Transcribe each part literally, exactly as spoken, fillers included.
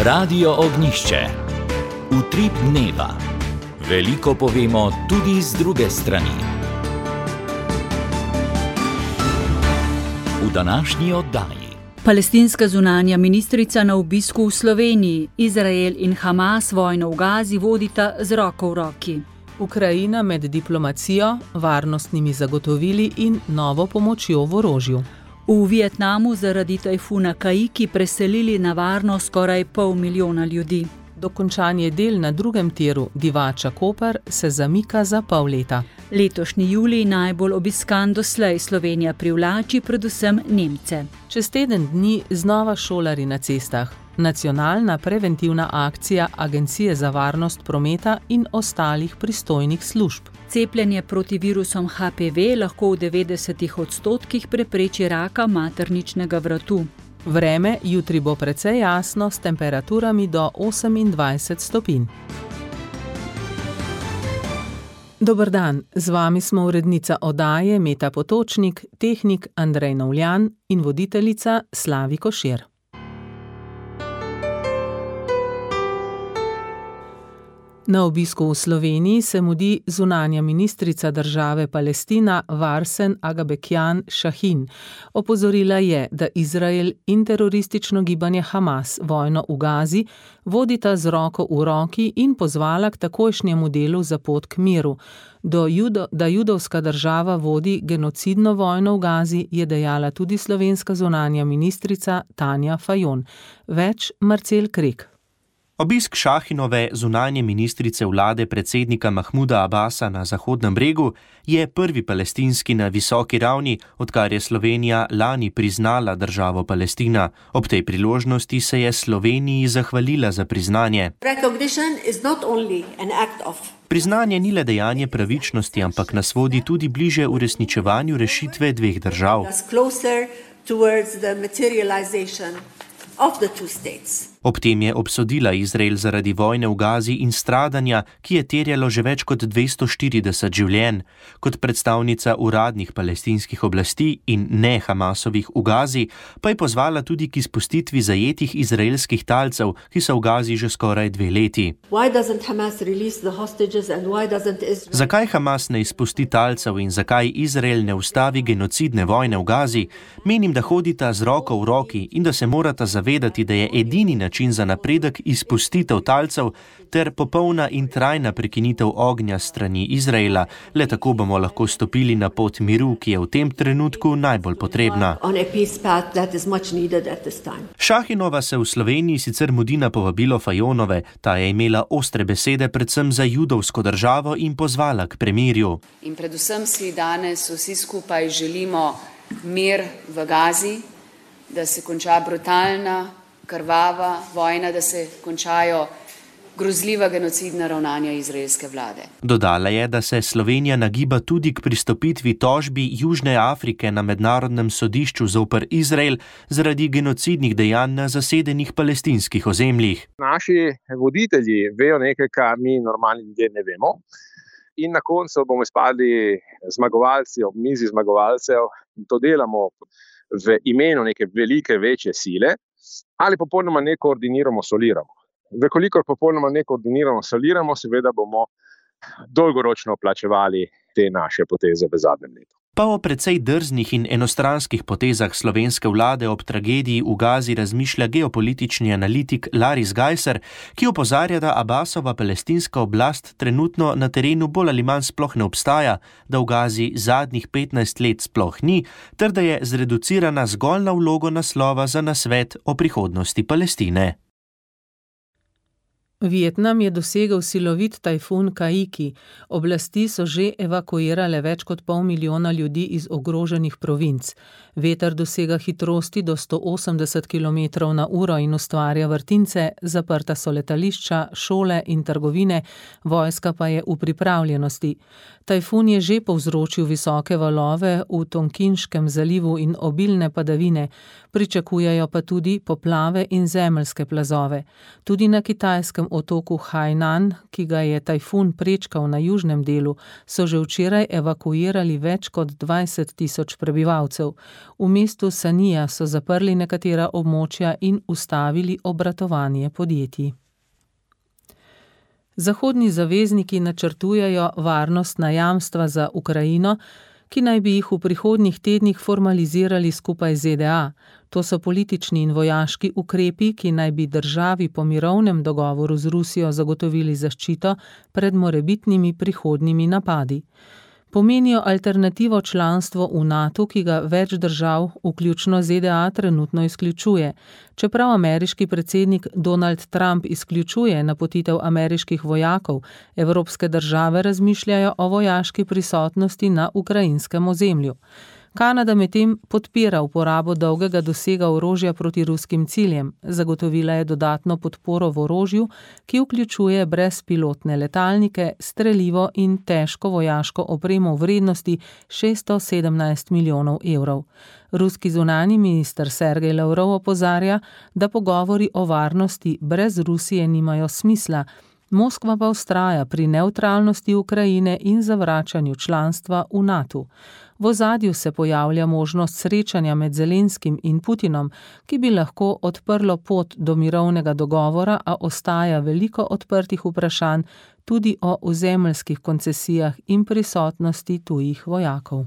Radio Ognjišče. Utrip dneva. Veliko povemo tudi z druge strani. V današnji oddaji. Palestinska zunanja ministrica na obisku v Sloveniji. Izrael in Hamas vojno v Gazi vodita z roko v roki. Ukrajina med diplomacijo, varnostnimi zagotovili in novo pomočjo v orožju. V Vietnamu zaradi tajfuna Kaiki preselili na varno skoraj pol milijona ljudi. Dokončanje del na drugem tiru Divača-Koper se zamika za pol leta. Letošnji julij najbolj obiskan doslej. Slovenija privlači predvsem Nemce. Čez teden dni znova šolarji na cestah. Nacionalna preventivna akcija Agencije za varnost prometa in ostalih pristojnih služb. Cepljenje proti virusom H P V lahko v devetdesetih odstotkih prepreči raka materničnega vratu. Vreme jutri bo precej jasno s temperaturami do osemindvajset stopinj. Dober dan, z vami smo urednica oddaje Meta Potočnik, tehnik Andrej Novljan in voditeljica Slavi Košir. Na obisku v Sloveniji se mudi zunanja ministrica države Palestina Varsen Agabekjan Šahin. Opozorila je, da Izrael in teroristično gibanje Hamas vojno v Gazi vodita z roko v roki in pozvala k takojšnjemu delu za pot k miru. Do judo, da judovska država vodi genocidno vojno v Gazi, je dejala tudi slovenska zunanja ministrica Tanja Fajon. Več Marcel Krek. Obisk Šahinove zunanje ministrice vlade predsednika Mahmuda Abasa na Zahodnem bregu je prvi palestinski na visoki ravni, odkar je Slovenija lani priznala državo Palestina. Ob tej priložnosti se je Sloveniji zahvalila za priznanje. Priznanje ni le dejanje pravičnosti, ampak nas vodi tudi bliže uresničevanju rešitve dveh držav. Ob tem je obsodila Izrael zaradi vojne v Gazi in stradanja, ki je terjalo že več kot dvesto štirideset življenj. Kot predstavnica uradnih palestinskih oblasti in ne Hamasovih v Gazi, pa je pozvala tudi k izpustitvi zajetih izraelskih talcev, ki so v Gazi že skoraj dve leti. Zakaj Hamas ne izpusti talcev in zakaj Izrael ne ustavi genocidne vojne v Gazi? Menim, da hodita z roko v roki in da se morata zavedati, da je edini način za napredek izpustitev talcev ter popolna in trajna prekinitev ognja strani Izraela. Le tako bomo lahko stopili na pot miru, ki je v tem trenutku najbolj potrebna. Šahinova se v Sloveniji sicer mudi na povabilo Fajonove. Ta je imela ostre besede predvsem za judovsko državo in pozvala k premirju. In predvsem si danes vsi skupaj želimo mir v Gazi, da se konča brutalna, krvava vojna, da se končajo grozljiva genocidna ravnanja izraelske vlade. Dodala je, da se Slovenija nagiba tudi k pristopitvi tožbi Južne Afrike na mednarodnem sodišču zoper Izrael zaradi genocidnih dejanj na zasedenih palestinskih ozemljih. Naši voditelji vejo nekaj, kar mi normalni ljudje ne vemo. In na koncu bomo izpadli zmagovalci ob mizi zmagovalcev. To delamo v imenu neke velike, večje sile. Ali popolnoma ne koordiniramo, soliramo. Vekolikor popolnoma ne koordiniramo, soliramo, seveda bomo dolgoročno plačevali te naše poteze v zadnjem letu. Pa o precej drznih in enostranskih potezah slovenske vlade ob tragediji v Gazi razmišlja geopolitični analitik Laris Gajser, ki opozarja, da Abasova palestinska oblast trenutno na terenu bolj ali manj sploh ne obstaja, da v Gazi zadnjih petnajst let sploh ni, ter da je zreducirana zgolj na vlogo naslova za nasvet o prihodnosti Palestine. Vietnam je dosegel silovit tajfun Kaiki. Oblasti so že evakuirale več kot pol milijona ljudi iz ogroženih provinc. Veter dosega hitrosti do sto osemdeset kilometrov na uro in ustvarja vrtince, zaprta so letališča, šole in trgovine, vojska pa je v pripravljenosti. Tajfun je že povzročil visoke valove v Tonkinškem zalivu in obilne padavine, pričakujejo pa tudi poplave in zemeljske plazove. Tudi na kitajskem otoku Hainan, ki ga je tajfun prečkal na južnem delu, so že včeraj evakuirali več kot dvajset tisoč prebivalcev. V mestu Sanija so zaprli nekatera območja in ustavili obratovanje podjetij. Zahodni zavezniki načrtujejo varnostna jamstva za Ukrajino, ki naj bi jih v prihodnjih tednih formalizirali skupaj z Z D A. To so politični in vojaški ukrepi, ki naj bi državi po mirovnem dogovoru z Rusijo zagotovili zaščito pred morebitnimi prihodnjimi napadi. Pomenijo alternativo članstvo v NATO, ki ga več držav, vključno Z D A, trenutno izključuje. Čeprav ameriški predsednik Donald Trump izključuje napotitev ameriških vojakov, evropske države razmišljajo o vojaški prisotnosti na ukrajinskem ozemlju. Kanada medtem podpira uporabo dolgega dosega orožja proti ruskim ciljem. Zagotovila je dodatno podporo v orožju, ki vključuje brezpilotne letalnike, strelivo in težko vojaško opremo v vrednosti šeststo sedemnajst milijonov evrov. Ruski zunanji minister Sergej Lavrov opozarja, da pogovori o varnosti brez Rusije nimajo smisla. Moskva pa vztraja pri nevtralnosti Ukrajine in zavračanju članstva v NATO. V ozadju se pojavlja možnost srečanja med Zelenskim in Putinom, ki bi lahko odprlo pot do mirovnega dogovora, a ostaja veliko odprtih vprašanj tudi o ozemeljskih koncesijah in prisotnosti tujih vojakov.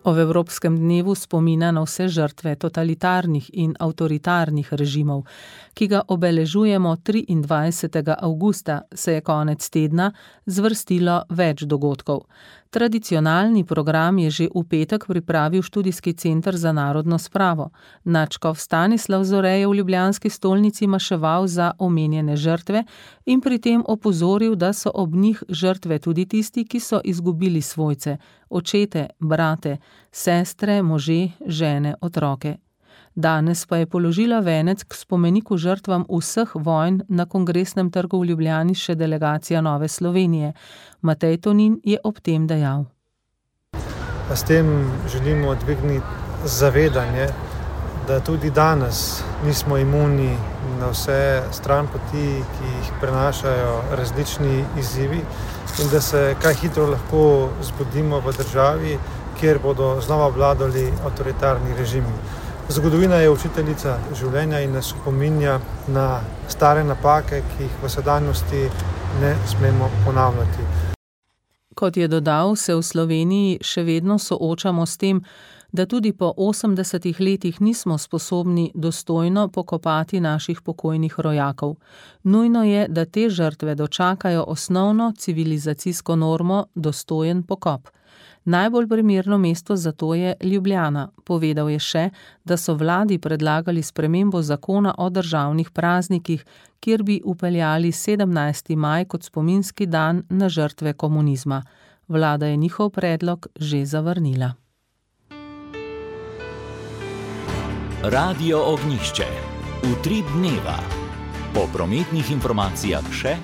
Ob Evropskem dnevu spomina na vse žrtve totalitarnih in avtoritarnih režimov, ki ga obeležujemo triindvajsetega avgusta, se je konec tedna zvrstilo več dogodkov. Tradicionalni program je že v petek pripravil študijski center za narodno spravo. Nadškof Stanislav Zore je v ljubljanski stolnici maševal za omenjene žrtve in pri tem opozoril, da so ob njih žrtve tudi tisti, ki so izgubili svojce, očete, brate, sestre, može, žene, otroke. Danes pa je položila venec k spomeniku žrtvam vseh vojn na Kongresnem trgu v Ljubljani še delegacija Nove Slovenije. Matej Tonin je ob tem dejal. S tem želimo dvigniti zavedanje, da tudi danes nismo imuni na vse stranpoti, ki jih prenašajo različni izzivi in da se kaj hitro lahko zbudimo v državi, kjer bodo znova vladali avtoritarni režimi. Zgodovina je učiteljica življenja in nas opominja na stare napake, ki jih v sedanjosti ne smemo ponavljati. Kot je dodal, se v Sloveniji še vedno soočamo s tem, da tudi po osemdesetih letih nismo sposobni dostojno pokopati naših pokojnih rojakov. Nujno je, da te žrtve dočakajo osnovno civilizacijsko normo, dostojen pokop. Najbolj primerno mesto za to je Ljubljana. Povedal je še, da so vladi predlagali spremembo zakona o državnih praznikih, kjer bi upeljali sedemnajsti maj kot spominski dan na žrtve komunizma. Vlada je njihov predlog že zavrnila. Radio Ognjišče. Utrip dneva. Po prometnih informacijah še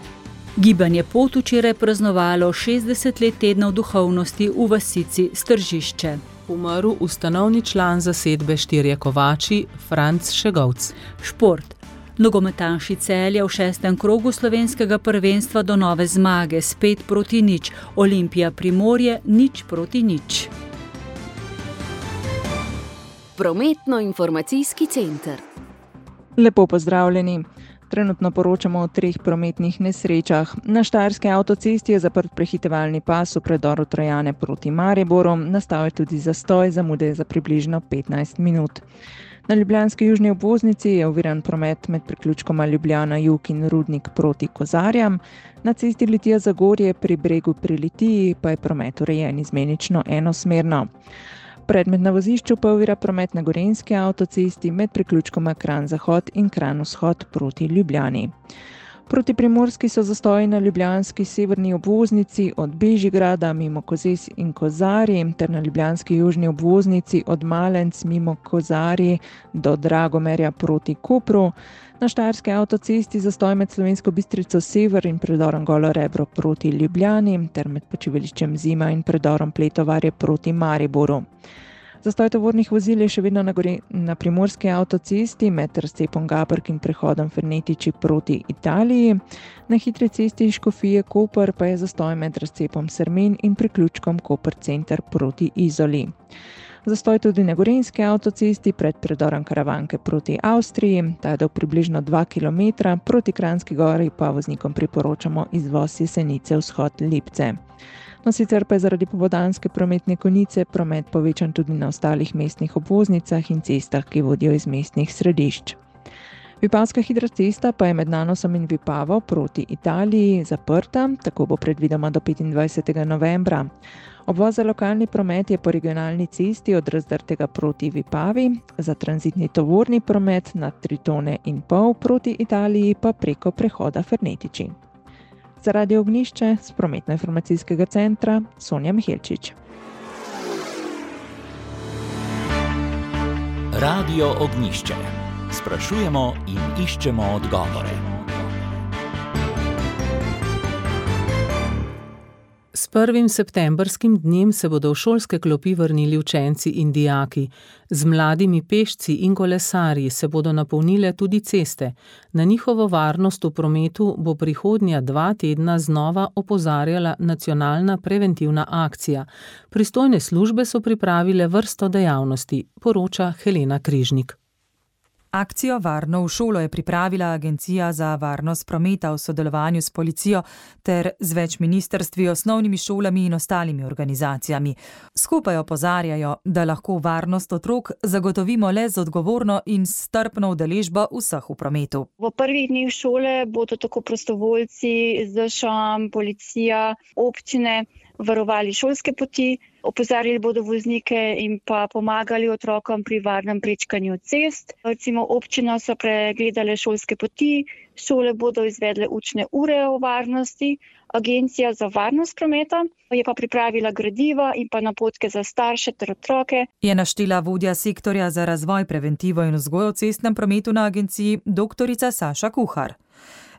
Gibanje Pot včeraj praznovalo šestdeset let tednov duhovnosti v vasici Stržišče. Umrl ustanovni član zasedbe Štirje kovači Franc Šegovc. Šport. Nogometaši Celja v šestem krogu slovenskega prvenstva do nove zmage, spet proti nič. Olimpija Primorje nič proti nič. Prometno-informacijski center. Lepo pozdravljeni. Trenutno poročamo o treh prometnih nesrečah. Na Štajerski avtocesti je zaprt prehitevalni pas v predoru Trojane proti Mariboru, nastal je tudi zastoj, zamude za približno petnajst minut. Na ljubljanski južni obvoznici je oviran promet med priključkoma Ljubljana Jug in Rudnik proti Kozarjam. Na cesti Litija-Zagorje pri Bregu pri Litiji pa je promet urejen izmenično enosmerno. Predmet na vozišču pa ovira promet na Gorenjski avtocesti med priključkoma Kranj-Zahod in Kranj-Vzhod proti Ljubljani. Proti Primorski so zastoji na ljubljanski severni obvoznici od Bežigrada mimo Kozes in Kozarji ter na ljubljanski južni obvoznici od Malenc mimo Kozarji do Dragomerja proti Kopru. Na Štajerski avtocesti zastoj med Slovensko Bistrico Sever in predorom Golo Rebro proti Ljubljani ter med počivališčem Zima in predorom Pletovarje proti Mariboru. Zastoj tovornih vozil je še vedno na, gori, na primorski avtocesti med razcepom Gabrk in prehodom Fernetiči proti Italiji. Na hitri cesti Škofije Koper pa je zastoj med razcepom Sermen in priključkom Koper center proti Izoli. Zastoj tudi na gorenjski avtocesti pred predorom Karavanke proti Avstriji, ta je dolg približno dva kilometra, proti Kranjski Gori pa voznikom priporočamo izvoz Jesenice vzhod Lipce. No, sicer pa je zaradi popoldanske prometne konice promet povečan tudi na ostalih mestnih obvoznicah in cestah, ki vodijo iz mestnih središč. Vipavska hitra cesta pa je med Nanosom in Vipavo proti Italiji zaprta, tako bo predvidoma do petindvajsetega novembra. Obvoz za lokalni promet je po regionalni cesti od Razdrtega proti Vipavi, za tranzitni tovorni promet na tri tone in pol proti Italiji pa preko prehoda Fernetiči. Za Radio Ognjišče z prometno-informacijskega centra Sonja Mihelčič. Radio Ognjišče. Sprašujemo in iščemo odgovore. S prvim septembrskim dnem se bodo v šolske klopi vrnili učenci in dijaki. Z mladimi pešci in kolesarji se bodo napolnile tudi ceste. Na njihovo varnost v prometu bo prihodnja dva tedna znova opozarjala nacionalna preventivna akcija. Pristojne službe so pripravile vrsto dejavnosti, poroča Helena Križnik. Akcijo Varno v šolo je pripravila Agencija za varnost prometa v sodelovanju s policijo ter z več ministrstvi, osnovnimi šolami in ostalimi organizacijami. Skupaj opozarjajo, da lahko varnost otrok zagotovimo le z odgovorno in strpno udeležbo vseh v prometu. V prvih dneh šole bodo tako prostovoljci, Z Š M, policija, občine varovali šolske poti, opozarjali bodo voznike in pa pomagali otrokom pri varnem prečkanju cest. Recimo občina so pregledale šolske poti, šole bodo izvedle učne ure o varnosti, Agencija za varnost prometa je pa pripravila gradiva in pa napotke za starše ter otroke. Je naštela vodja sektorja za razvoj, preventivo in vzgojo v cestnem prometu na agenciji doktorica Saša Kuhar.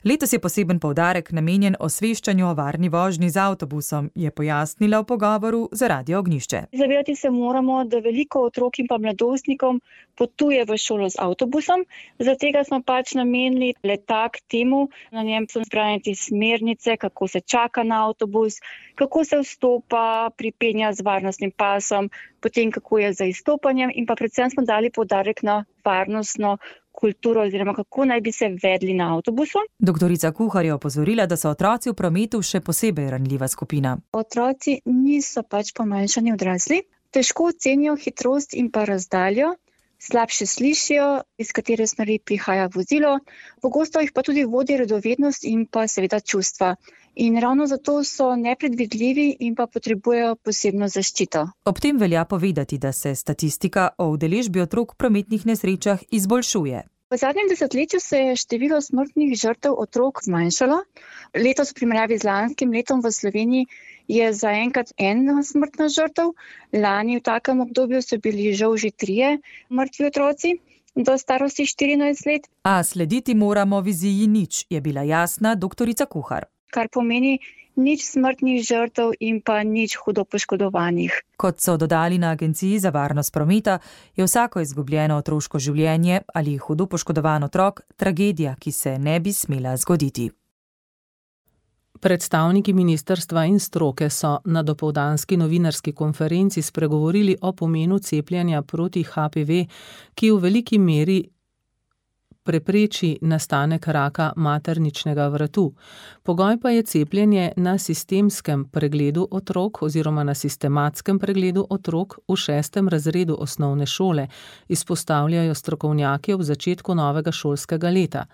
Letos je poseben poudarek namenjen osveščanju o varni vožnji z avtobusom, je pojasnila v pogovoru za Radio Ognjišče. Zavedati se moramo, da veliko otrok in pa mladostnikom potuje v šolo z avtobusom. Zaradi tega smo pač namenili letak temu, na njem so zbrane te smernice, kako se čaka na avtobus, kako se vstopa, pripenja z varnostnim pasom, potem kako je za izstopanjem in pa predvsem smo dali poudarek na varnostno kulturo oziroma kako naj bi se vedli na avtobusu. Doktorica Kuhar je opozorila, da so otroci v prometu še posebej ranljiva skupina. Otroci niso pač pomanjšani odrasli, težko ocenijo hitrost in pa razdaljo, slabše slišijo, iz katere smeri prihaja vozilo, pogosto jih pa tudi vodi radovednost in pa seveda čustva. In ravno zato so nepredvidljivi in pa potrebujejo posebno zaščito. Ob tem velja povedati, da se statistika o udeležbi otrok v prometnih nesrečah izboljšuje. V zadnjem desetletju se je število smrtnih žrtev otrok zmanjšalo. Letos v primerjavi z lanskim letom v Sloveniji je zaenkrat ena smrtna žrtev. Lani v takem obdobju so bili žal že trije mrtvi otroci do starosti štirinajst let. A slediti moramo viziji nič, je bila jasna doktorica Kuhar. Kar pomeni nič smrtnih žrtev in pa nič hudo poškodovanih. Kot so dodali na Agenciji za varnost prometa, je vsako izgubljeno otroško življenje ali hudo poškodovan otrok tragedija, ki se ne bi smela zgoditi. Predstavniki ministrstva in stroke so na dopoldanski novinarski konferenci spregovorili o pomenu cepljenja proti H P V, ki v veliki meri prepreči nastanek raka materničnega vratu. Pogoj pa je cepljenje na sistemskem pregledu otrok oziroma na sistematskem pregledu otrok v šestem razredu osnovne šole, izpostavljajo strokovnjaki ob začetku novega šolskega leta.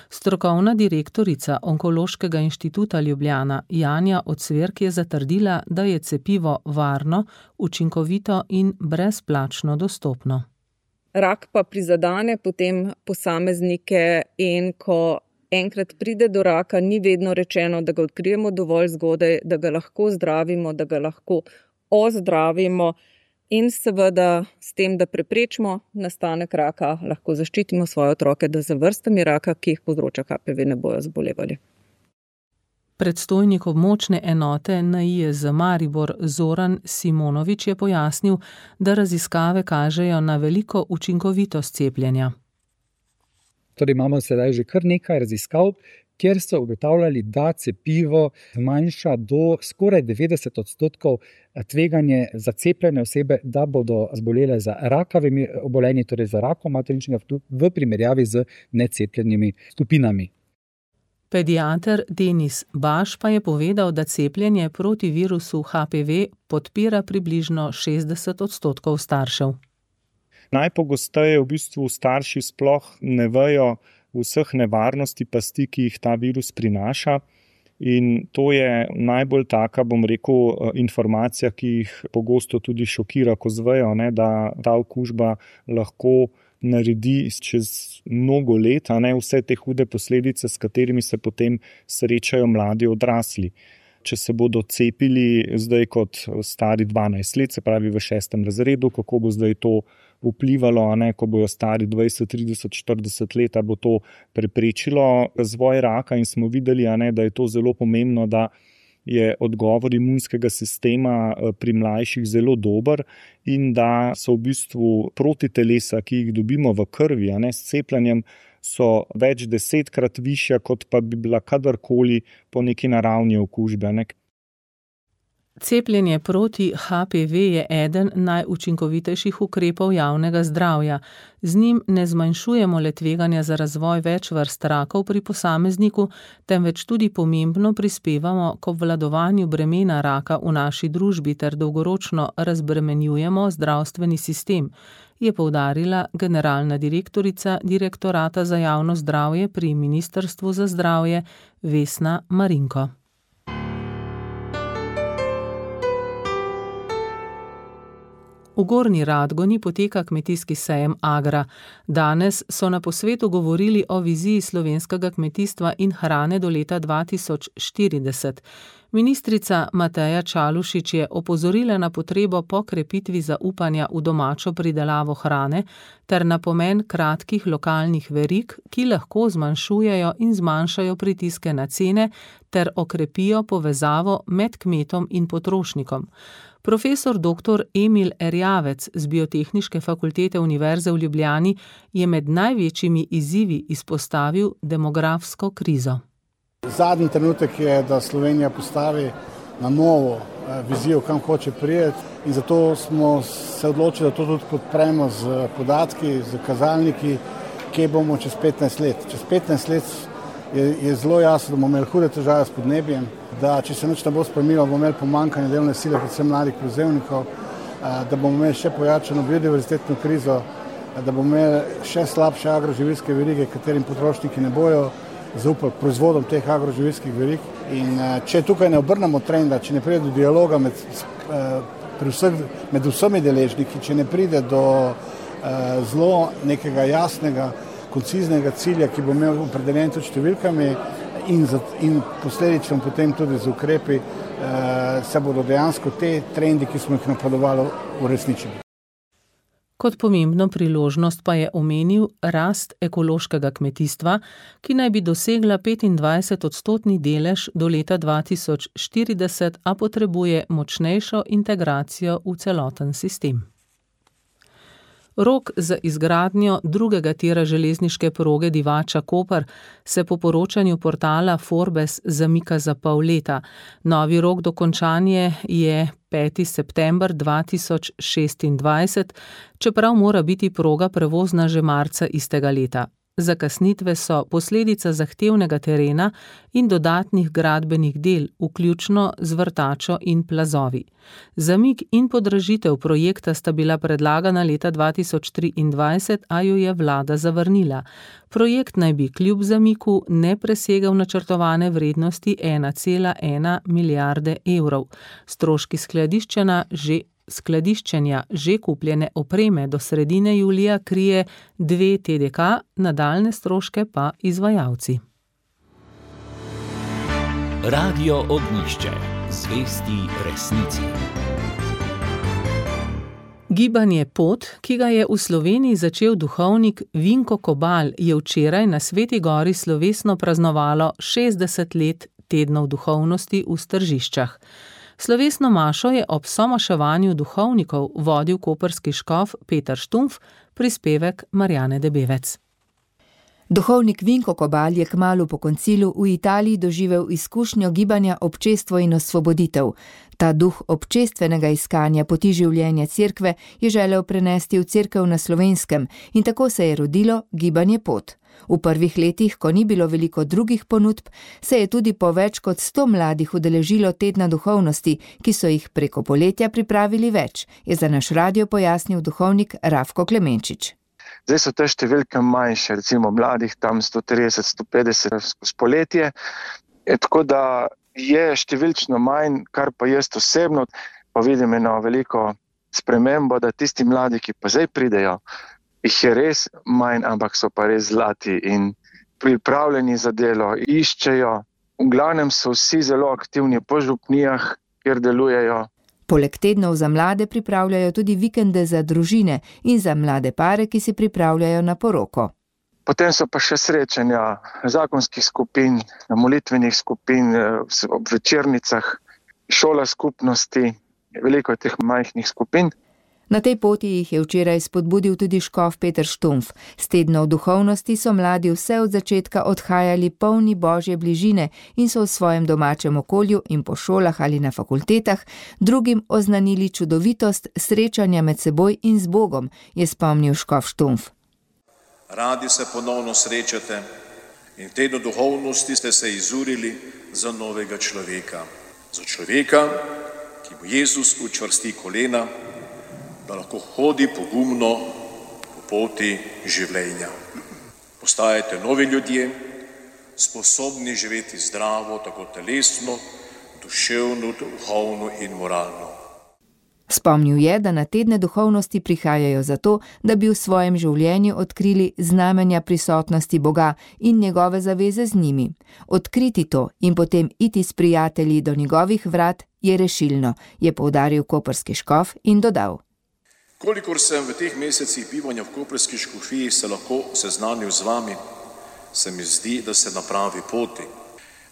Strokovna direktorica Onkološkega inštituta Ljubljana Janja Ocvirk je zatrdila, da je cepivo varno, učinkovito in brezplačno dostopno. Rak pa prizadane potem posameznike in ko enkrat pride do raka, ni vedno rečeno, da ga odkrijemo dovolj zgodaj, da ga lahko zdravimo, da ga lahko ozdravimo in seveda s tem, da preprečimo nastanek raka, lahko zaščitimo svoje otroke, da za vrstami raka, ki jih povzroča H P V, ne bojo zbolevali. Predstojnik območne enote N I E Z Maribor Zoran Simonovič je pojasnil, da raziskave kažejo na veliko učinkovitost cepljenja. Torej imamo sedaj že kar nekaj raziskav, kjer so ugotavljali, da cepivo zmanjša do skoraj devetdeset odstotkov tveganje za cepljene osebe, da bodo zbolele za rakavimi obolenji, torej za rakom materničnega vrtu v primerjavi z necepljenimi skupinami. Pediater Denis Baš pa je povedal, da cepljenje proti virusu H P V podpira približno šestdeset odstotkov staršev. Najpogosteje v bistvu starši sploh ne vejo vseh nevarnosti pasti, ki jih ta virus prinaša. In to je najbolj taka, bom rekel, informacija, ki jih pogosto tudi šokira, ko zvejo, ne, da ta okužba lahko naredi čez mnogo let, a ne, vse te hude posledice, s katerimi se potem srečajo mladi odrasli. Če se bodo cepili zdaj kot stari dvanajst let, se pravi v šestem razredu, kako bo zdaj to vplivalo, a ne, ko bojo stari dvajset, trideset, štirideset let, bo to preprečilo razvoj raka in smo videli, a ne, da je to zelo pomembno, da je odgovor imunskega sistema pri mlajših zelo dober in da so v bistvu protitelesa, ki jih dobimo v krvi, a ne, s cepljenjem, so več desetkrat višja, kot pa bi bila kadarkoli po neki naravni okužbi. Ne. Cepljenje proti H P V je eden najučinkovitejših ukrepov javnega zdravja. Z njim ne zmanjšujemo le tveganja za razvoj več vrst rakov pri posamezniku, temveč tudi pomembno prispevamo k obvladovanju bremena raka v naši družbi ter dolgoročno razbremenjujemo zdravstveni sistem, je poudarila generalna direktorica Direktorata za javno zdravje pri Ministrstvu za zdravje Vesna Marinko. V Gornji Radgoni poteka kmetijski sejem Agra. Danes so na posvetu govorili o viziji slovenskega kmetijstva in hrane do leta dva tisoč štirideset. Ministrica Mateja Čalušić je opozorila na potrebo po krepitvi zaupanja v domačo pridelavo hrane ter na pomen kratkih lokalnih verig, ki lahko zmanjšujejo in zmanjšajo pritiske na cene ter okrepijo povezavo med kmetom in potrošnikom. Profesor doktor Emil Erjavec z Biotehniške fakultete Univerze v Ljubljani je med največjimi izzivi izpostavil demografsko krizo. Zadnji trenutek je, da Slovenija postavi na novo vizijo, kam hoče prijeti, in zato smo se odločili, da to tudi podpremo z podatki, z kazalniki, kje bomo čez petnajst let. Čez petnajst let je, je zelo jasno, da bomo imeli hude težave s podnebjem, da če se nič ne bo spremenilo, bomo imeli pomanjkanje delovne sile, predvsem mladih prevzemnikov, da bomo imeli še pojačano biodiverzitetno krizo, da bomo imeli še slabše agroživilske verige, katerim potrošniki ne bojo zaupali proizvodom teh agroživilskih verig. In če tukaj ne obrnemo trenda, če ne pride do dialoga med, pri vseh, med vsemi deležniki, če ne pride do zelo nekega jasnega, konciznega cilja, ki bo imel opredeljen tudi številkami in, za, in posledično potem tudi z ukrepi, se bodo dejansko te trendi, ki smo jih napovedovali, uresničili. Kot pomembno priložnost pa je omenil rast ekološkega kmetijstva, ki naj bi dosegla petindvajset odstotni delež do leta dva tisoč štirideset, a potrebuje močnejšo integracijo v celoten sistem. Rok za izgradnjo drugega tira železniške proge Divača-Koper se po poročanju portala Forbes zamika za pol leta. Novi rok dokončanje je peti september dva tisoč šestindvajset, čeprav mora biti proga prevozna že marca istega leta. Zakasnitve so posledica zahtevnega terena in dodatnih gradbenih del, vključno z vrtačo in plazovi. Zamik in podražitev projekta sta bila predlagana leta dva tisoč triindvajset, a jo je vlada zavrnila. Projekt naj bi kljub zamiku ne presegel načrtovane vrednosti ena cela ena milijarde evrov. Stroški skladiščenja že Skladiščenja že kupljene opreme do sredine julija krije dve T D K, nadaljne stroške pa izvajalci. Radio Ognjišče, zvesti resnici. Gibanje Pot, ki ga je v Sloveniji začel duhovnik Vinko Kobal, je včeraj na Sveti gori slovesno praznovalo šestdeset let tednov duhovnosti v Stržiščah. Slovesno mašo je ob somaševanju duhovnikov vodil koprski škof Peter Štumpf, prispevek Marjane Debevec. Duhovnik Vinko Kobal je kmalu po koncilu v Italiji doživel izkušnjo gibanja Občestvo in osvoboditev. Ta duh občestvenega iskanja poti življenja cerkve je želel prenesti v cerkev na Slovenskem in tako se je rodilo gibanje Pot. V prvih letih, ko ni bilo veliko drugih ponudb, se je tudi po več kot sto mladih udeležilo tedna duhovnosti, ki so jih preko poletja pripravili več, je za naš radio pojasnil duhovnik Rafko Klemenčič. Zdaj so te številke manjše, recimo mladih tam sto trideset do sto petdeset skozi poletje, e, tako da je številčno manj, kar pa jaz osebno pa vidim eno veliko spremembo, da tisti mladi, ki pa zdaj pridejo, jih je res manj, ampak so pa res zlati in pripravljeni za delo, iščejo. V glavnem so vsi zelo aktivni po župnijah, kjer delujejo. Poleg tednov za mlade pripravljajo tudi vikende za družine in za mlade pare, ki si pripravljajo na poroko. Potem so pa še srečanja zakonskih skupin, molitvenih skupin, ob večernicah, šola skupnosti, veliko teh majhnih skupin. Na tej poti jih je včeraj spodbudil tudi škof Peter Štumpf. S tednov duhovnosti so mladi vse od začetka odhajali polni Božje bližine in so v svojem domačem okolju in po šolah ali na fakultetah drugim oznanili čudovitost srečanja med seboj in z Bogom, je spomnil škof Štumpf. Radi se ponovno srečate in v tednu duhovnosti ste se izurili za novega človeka. Za človeka, ki mu Jezus učvrsti kolena, da lahko hodi pogumno po poti življenja. Postajate novi ljudje, sposobni živeti zdravo, tako telesno, duševno, duhovno in moralno. Spomnil je, da na tedne duhovnosti prihajajo zato, da bi v svojem življenju odkrili znamenja prisotnosti Boga in njegove zaveze z njimi. Odkriti to in potem iti s prijatelji do njegovih vrat je rešilno, je poudaril koprski škof in dodal. Kolikor sem v teh mesecih bivanja v koprski škofiji se lahko seznanil z vami, se mi zdi, da se na pravi poti.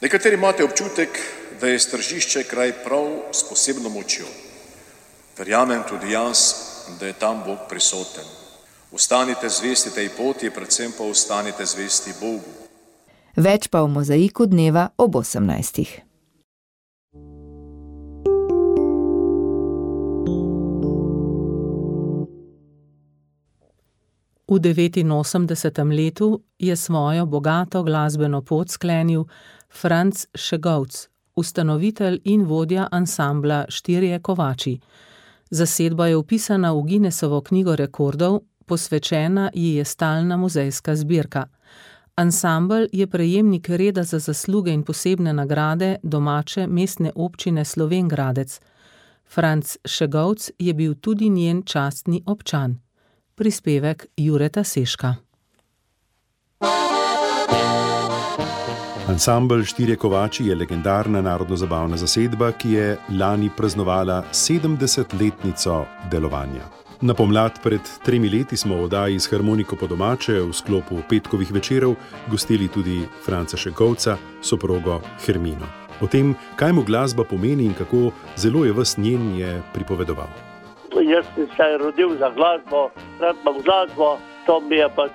Nekateri imate občutek, da je Stržišče kraj prav s posebno močjo. Verjamem tudi jaz, da je tam Bog prisoten. Ostanite zvesti tej poti, predvsem pa ostanite zvesti Bogu. Več pa v mozaiku dneva ob osemnajstih. V devetinosemdesetem letu je svojo bogato glasbeno pot sklenil Franc Šegovc, ustanovitelj in vodja ansambla Štirje kovači. Zasedba je vpisana v Guinnessovo knjigo rekordov, posvečena ji je stalna muzejska zbirka. Ansambel je prejemnik reda za zasluge in posebne nagrade domače mestne občine Slovenj Gradec. Franc Šegovc je bil tudi njen častni občan. Prispevek Jureta Seška. Ansambel Štirje kovači je legendarna narodno-zabavna zasedba, ki je lani praznovala sedemdesetletnico delovanja. Na pomlad pred tremi leti smo v oddaji s harmoniko po domače v sklopu petkovih večerov gostili tudi Franca Šegovca, soprogo Hermino. O tem, kaj mu glasba pomeni in kako zelo je ves njen, je pripovedoval. Jaz sem se rodil za glasbo, rad imam glasbo, to mi je pač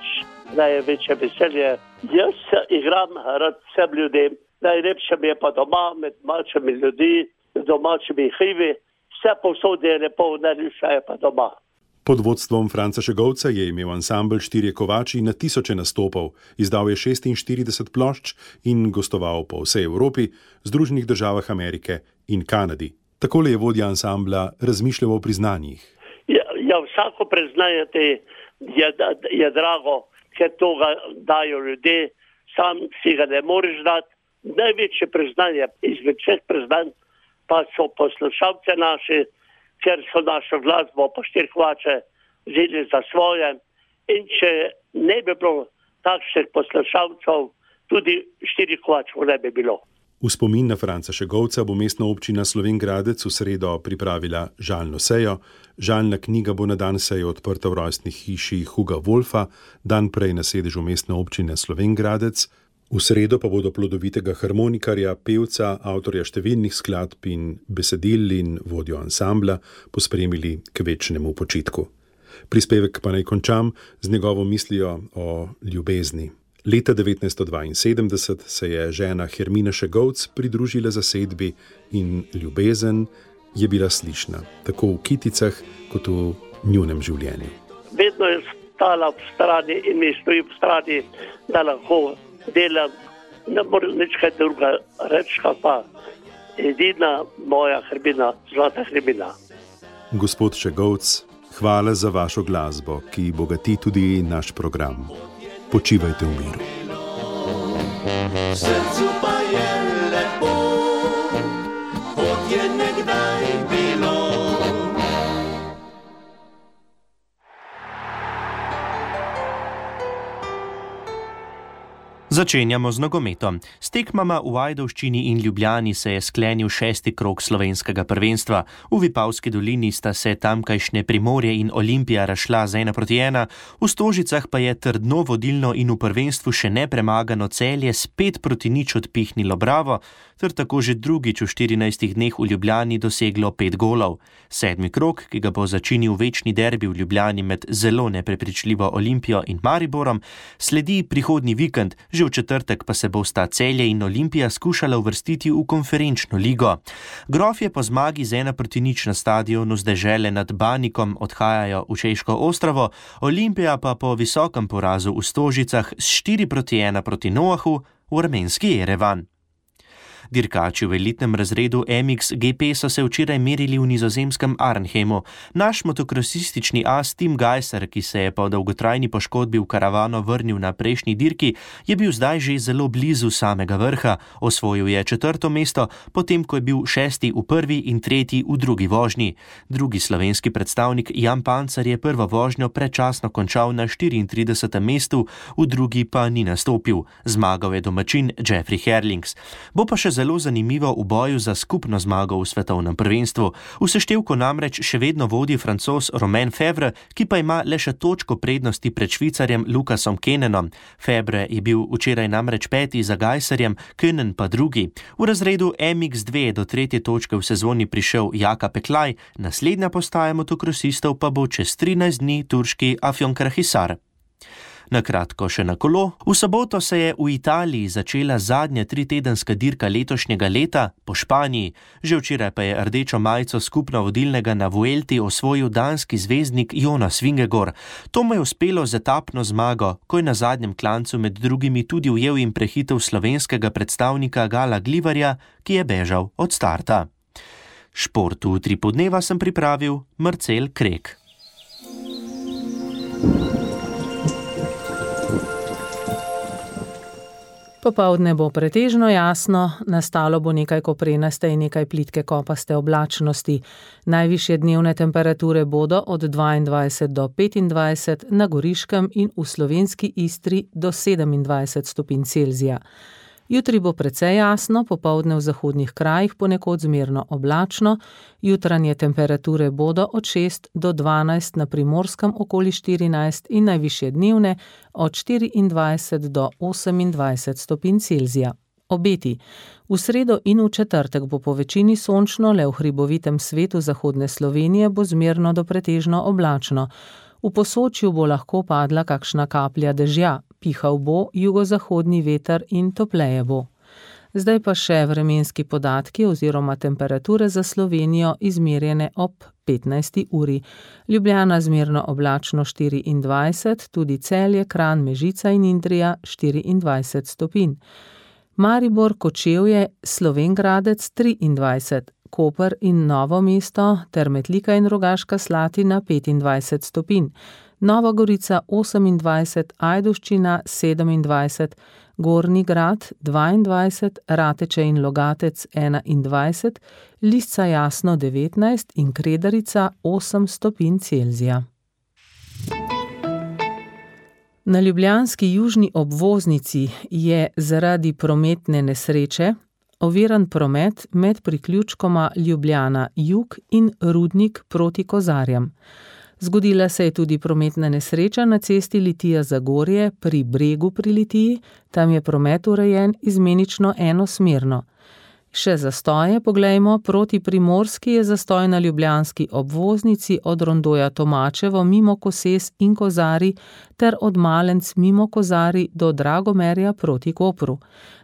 največje veselje. Jaz igram rad vsem ljudem, najlepše mi je pa doma med domačimi ljudmi, domačimi hivi, vse povsod je lepo, najlepše je pa doma. Pod vodstvom Franca Šegovca je imel ansambel Štirje kovači na tisoče nastopov, izdal je šestinštirideset plošč in gostoval po vsej Evropi, Združenih državah Amerike in Kanadi. Takole je vodja ansambla razmišljal o priznanjih. Ja, ja vsako priznanje te je, je drago, ker to ga dajo ljudje, sam si ga ne moreš dati. Največje priznanje izmed vseh priznanj pa so poslušalce naši, ker so našo glasbo po Štirje kovače vzeli za svoje. In če ne bi bilo takšnih poslušalcev, tudi Štirih kovačev ne bi bilo. V spomin na Franca Šegovca bo mestna občina Slovenj Gradec v sredo pripravila žalno sejo. Žalna knjiga bo na dan seje odprta v rojstni hiši Huga Wolfa, dan prej na sedežu mestne občine Slovenj Gradec. V sredo pa bodo plodovitega harmonikarja, pevca, avtorja številnih skladb in besedil in vodjo ansambla pospremili k večnemu počitku. Prispevek pa naj končam z njegovo mislijo o ljubezni. Leta devetnajststo dvainsedemdeset se je žena Hermina Šegovc pridružila zasedbi in ljubezen je bila slišna, tako v kiticah kot v njunem življenju. Vedno je stala ob strani in mi stoji ob strani, da lahko delam, ne morem nič kaj druga reči, pa edina moja Hermina, zlata Hermina. Gospod Šegovc, hvala za vašo glasbo, ki bogati tudi naš program. Počivajte v miru. Srcu pa je lepo, kot je nekdaj bilo. Začenjamo z nogometom. S tekmama v Ajdovščini in Ljubljani se je sklenil šesti krog slovenskega prvenstva. V Vipavski dolini sta se tamkajšnje Primorje in Olimpija razšla z ena proti ena, v Stožicah pa je trdno vodilno in v prvenstvu še nepremagano Celje spet proti nič odpihnilo Bravo, ter tako že drugič v štirinajstih dneh v Ljubljani doseglo pet golov. Sedmi krog, ki ga bo začinil večni derbi v Ljubljani med zelo neprepričljivo Olimpijo in Mariborom, sledi prihodnji vikend. Že v četrtek pa se bosta Celje in Olimpija skušala uvrstiti v konferenčno ligo. Grofje po zmagi z ena proti nič na stadionu z Dežele nad Banikom odhajajo v Češko Ostrovo, Olimpija pa po visokem porazu v Stožicah s štiri proti ena proti Noahu v armenski Jerevan. Dirkači v elitnem razredu M X G P so se včeraj merili v nizozemskem Arnhemu. Naš motokrosistični as Tim Gajser, ki se je po dolgotrajni poškodbi v karavano vrnil na prejšnji dirki, je bil zdaj že zelo blizu samega vrha. Osvojil je četrto mesto, potem ko je bil šesti v prvi in tretji v drugi vožnji. Drugi slovenski predstavnik Jan Pancar je prvo vožnjo predčasno končal na štiriintridesetem mestu, v drugi pa ni nastopil. Zmagal je domačin Jeffrey Herlings. Bo pa še zelo zanimivo v boju za skupno zmago v svetovnem prvenstvu. V seštevku namreč še vedno vodi Francoz Romain Febvre, ki pa ima le še točko prednosti pred Švicarjem Lukasom Kenenom. Febvre je bil včeraj namreč peti za Gajserjem, Kenen pa drugi. V razredu M X dva do tretje točke v sezoni prišel Jaka Peklaj, naslednja postaja motokrosistov pa bo čez trinajst dni turški Afyonkarahisar. Na kratko še na kolo. V soboto se je v Italiji začela zadnja tritedenska dirka letošnjega leta po Španiji. Že včeraj pa je rdečo majico skupno vodilnega na Vuelti osvojil danski zvezdnik Jonas Vingegaard. To mu je uspelo z etapno zmago, ko je na zadnjem klancu med drugimi tudi ujel in prehitel slovenskega predstavnika Gala Glivarja, ki je bežal od starta. Šport v Utripu dneva sem pripravil Marcel Krek. Popoldne bo pretežno jasno, nastalo bo nekaj koprenaste in nekaj plitke kopaste oblačnosti. Najvišje dnevne temperature bodo od dvaindvajset do petindvajset, na Goriškem in v slovenski Istri do sedemindvajset stopinj Celzija. Jutri bo precej jasno, popoldne v zahodnih krajih ponekod zmerno oblačno, jutranje temperature bodo od šest do dvanajst, na Primorskem okoli štirinajst in najvišje dnevne od štiriindvajset do osemindvajset stopinj Celzija. Obeti. V sredo in v četrtek bo po večini sončno, le v hribovitem svetu zahodne Slovenije bo zmerno do pretežno oblačno. V Posočju bo lahko padla kakšna kaplja dežja, pihal bo jugozahodni veter in topleje bo. Zdaj pa še vremenski podatki oziroma temperature za Slovenijo izmerjene ob petnajsti uri. Ljubljana zmerno oblačno štiriindvajset, tudi Celje, Kranj, Mežica in Idrija štiriindvajset stopinj. Maribor, Kočevje, Slovenj Gradec triindvajset, Koper in Novo mesto ter Metlika in Rogaška Slatina petindvajset stopinj, Nova Gorica osemindvajset, Ajdovščina sedemindvajset, Gornji Grad dvaindvajset, Rateče in Logatec enaindvajset, Lisca Jasno devetnajst in Kredarica osem stopinj Celzija. Na ljubljanski južni obvoznici je zaradi prometne nesreče oviran promet med priključkoma Ljubljana Jug in Rudnik proti Kozarjam. Zgodila se je tudi prometna nesreča na cesti Litija-Zagorje pri Bregu pri Litiji, tam je promet urejen izmenično enosmerno. Še zastoje, poglejmo, proti Primorski je zastoj na ljubljanski obvoznici od rondoja Tomačevo mimo Koses in Kozari ter od Malenc mimo Kozari do Dragomerja proti Kopru.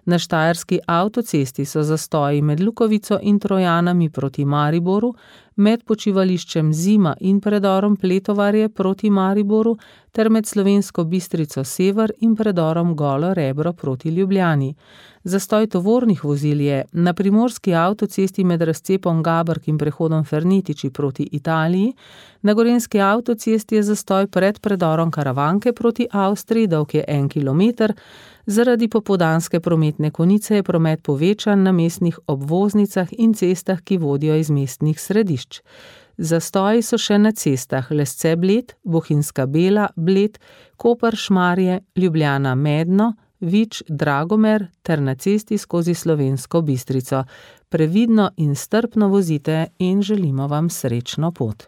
Na štajerski avtocesti so zastoji med Lukovico in Trojanami proti Mariboru, med počivališčem Zima in predorom Pletovarje proti Mariboru ter med Slovensko Bistrico Sever in predorom Golo Rebro proti Ljubljani. Zastoj tovornih vozil je na primorski avtocesti med razcepom Gabrk in prehodom Fernetiči proti Italiji, na gorenjski avtocesti je zastoj pred predorom Karavanke proti Avstriji, dolg je en kilometer, zaradi popoldanske prometne konice je promet povečan na mestnih obvoznicah in cestah, ki vodijo iz mestnih središč. Zastoji so še na cestah Lesce-Bled, Bohinjska Bela, Bled, Koper-Šmarje, Ljubljana-Medno, Vič, Dragomer ter na cesti skozi Slovensko Bistrico. Previdno in strpno vozite in želimo vam srečno pot.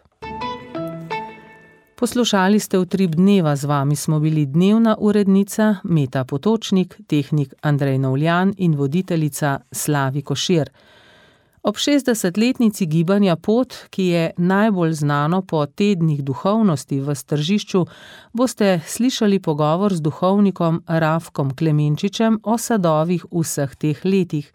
Poslušali ste Utrip dneva, z vami smo bili dnevna urednica Meta Potočnik, tehnik Andrej Novljan in voditeljica Slavi Košir. Ob šestdesetletnici gibanja Pot, ki je najbolj znano po tednih duhovnosti v Stržišču, boste slišali pogovor z duhovnikom Rafkom Klemenčičem o sadovih vseh teh letih.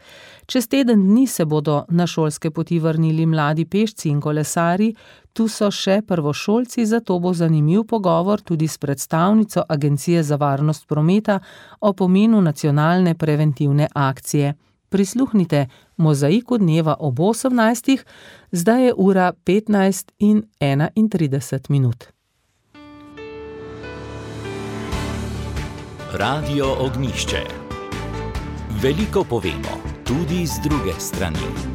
Čez teden dni se bodo na šolske poti vrnili mladi pešci in kolesarji, tu so še prvošolci, zato bo zanimiv pogovor tudi s predstavnico Agencije za varnost prometa o pomenu nacionalne preventivne akcije. Prisluhnite Mozaiku dneva ob osemnajstih, zdaj je ura petnajst in enaintrideset minut. Radio Ognjišče. Veliko povemo, tudi z druge strani.